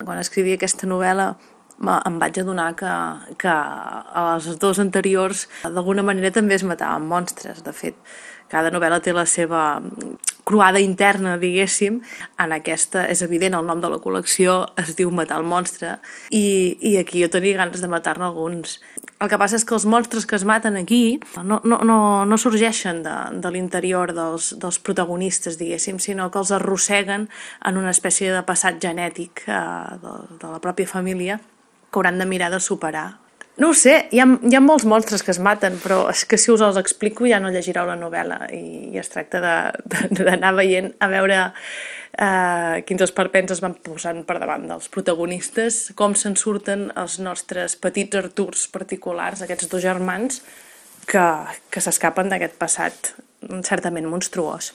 quan escrivia aquesta novel·la em vaig adonar que a les dues anteriors d'alguna manera també es mataven monstres. De fet, cada novel·la té la seva croada interna, diguéssim. En aquesta és evident, el nom de la col·lecció es diu Matar el monstre, i aquí jo tenia ganes de matar-ne alguns. El que passa és que els monstres que es maten aquí no sorgeixen de l'interior dels protagonistes, diguéssim, sinó que els arrosseguen en una espècie de passat genètic de la pròpia família que hauran de mirar de superar. No ho sé, hi ha molts monstres que es maten, però és que si us els explico ja no llegireu la novel·la i es tracta d'anar veient, a veure quins esperpents es van posant per davant dels protagonistes, com se'n surten els nostres petits Arturs particulars, aquests dos germans que s'escapen d'aquest passat certament monstruós.